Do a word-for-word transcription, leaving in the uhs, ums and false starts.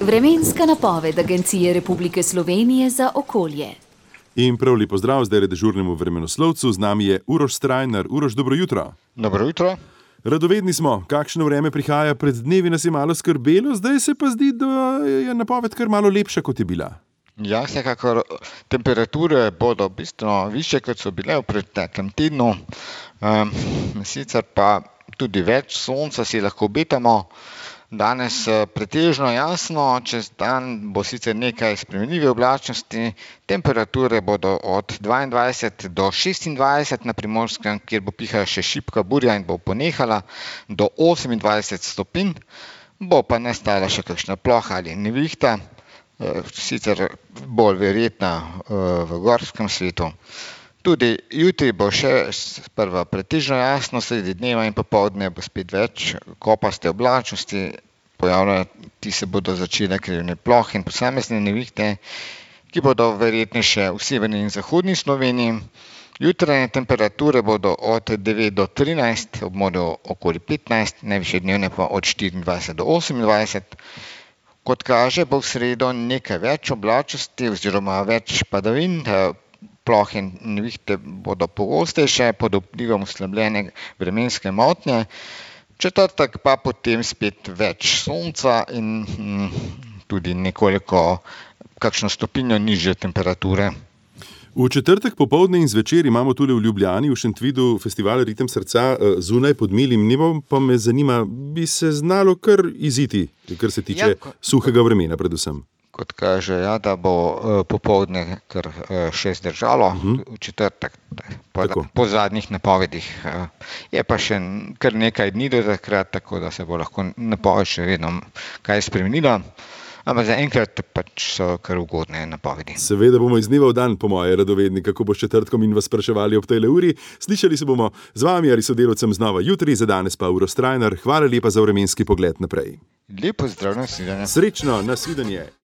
Vremenska napoved Agencije Republike Slovenije za okolje. In prav lepo zdrav zdaj dežurnemu vremenoslovcu, z nami je Uroš Strajnar. Uroš, dobro jutro. Dobro jutro. Radovedni smo, kakšno vreme prihaja, pred dnevi nas je malo skrbelo, zdaj se pa zdi, da je napoved kar malo lepša, kot je bila. Ja, vsekakor temperature bodo bistveno višje, kot so bile v preteklem tednu. Um, sicer pa tudi več sonca si lahko obetamo. Danes pretežno jasno, čez dan bo sicer nekaj spremenljive oblačnosti, temperature bodo od dvaindvajset do šestindvajset na Primorskem, kjer bo pihala še šibka burja in bo ponehala, do osemindvajset stopinj, bo pa nastala še kakšna ploha ali nevihta, sicer bolj verjetna v gorskem svetu. Tudi jutri bo še sprva pretežno jasno, sredi dneva in popoldne bo spet več kopaste oblačnosti, pojavljati se bodo začele krivne plohe in posamezne nevihte, ki bodo verjetnejše v severni in zahodni Sloveniji. Jutranje temperature bodo od devet do trinajst, ob morju okoli petnajst, najvišje dnevne pa od štiriindvajset do osemindvajset. Kot kaže, bo v sredo nekaj več oblačnosti oziroma več padavin, plohe in nevihte bodo pogostejše pod vplivom oslabljene vremenske motnje. Četrtek pa potem spet več sonca in hm, tudi nekoliko kakšno stopinjo nižje temperature. V četrtek popoldne in zvečer imamo tule v Ljubljani, v Šentvidu, festival Ritem srca zunaj pod milim nebom, pa me zanima, bi se znalo kar iziti, kar se tiče ja, suhega vremena predvsem. Kot kaže, ja, da bo popoldne kar še zdržalo uh-huh. v četrtek, po, po zadnjih napovedih. Je pa še kar nekaj dni do takrat, tako da se bo lahko napoved še vedno kaj spremenila. Ampak zaenkrat pač so kar ugodne napovedi. Seveda bomo iz dneva v dan, po moje, radovedni, kako bo s četrtkom in vas spraševali ob tejle uri. Slišali se bomo z vami ali sodelavcem znova jutri, za danes pa Uroš Strajnar. Hvala lepa za vremenski pogled naprej. Lepo zdrav, nasvidenje. Srečno, nasvidenje.